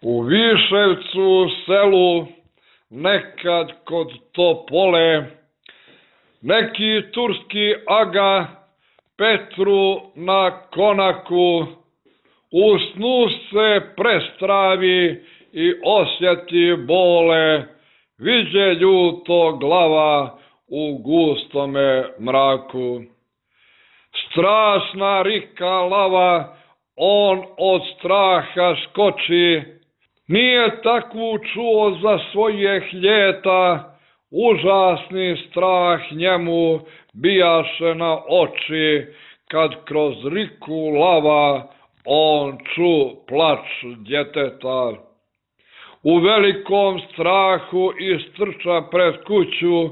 U Viševcu selu, nekad kod Topole, neki turski aga Petru na konaku u snu se prestravi i osjeti bole, viđe ljuto glava u gustome mraku. Strašna rika lava, on od straha skoči, nije takvu čuo za svojih ljeta, užasni strah njemu bijaše na oči, kad kroz riku lava on ču plač djeteta. U velikom strahu istrča pred kuću,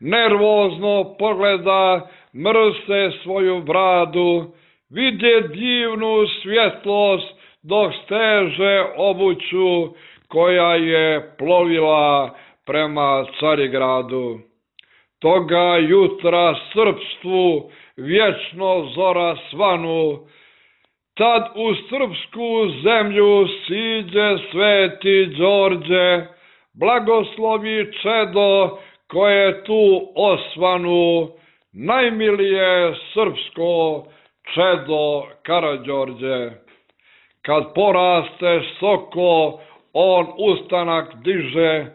nervozno pogleda, mrse svoju bradu, vidje divnu svjetlost dok steže obuću koja je plovila prema Carigradu. Toga jutra srpstvu vječno zora svanu, tad u srpsku zemlju siđe sveti Đorđe, blagoslovi čedo koje tu osvanu, najmilije srpsko čedo Karađorđe. Kad poraste soko, on ustanak diže,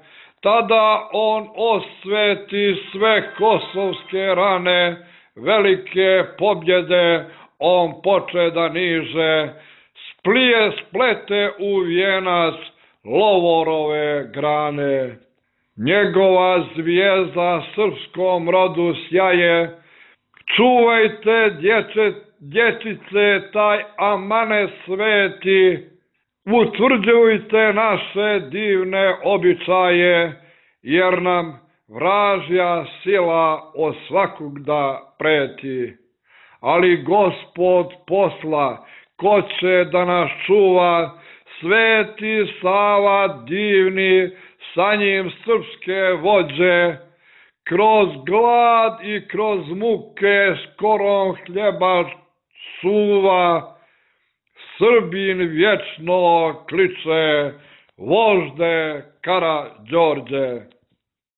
tada on osveti sve kosovske rane, velike pobjede on poče da niže, splete u vijenac lovorove grane. Njegova zvijezda srpskom rodu sjaje, čuvajte dječice taj amanet sveti, utvrđujte naše divne običaje, jer nam vražja sila od svakog da preti. Ali Gospod posla, ko će da nas čuva, sveti Sava divni, sa njim srpske vođe, kroz glad i kroz muke skorom hljeba suva, Srbin vječno kliče, vožde Karađorđe.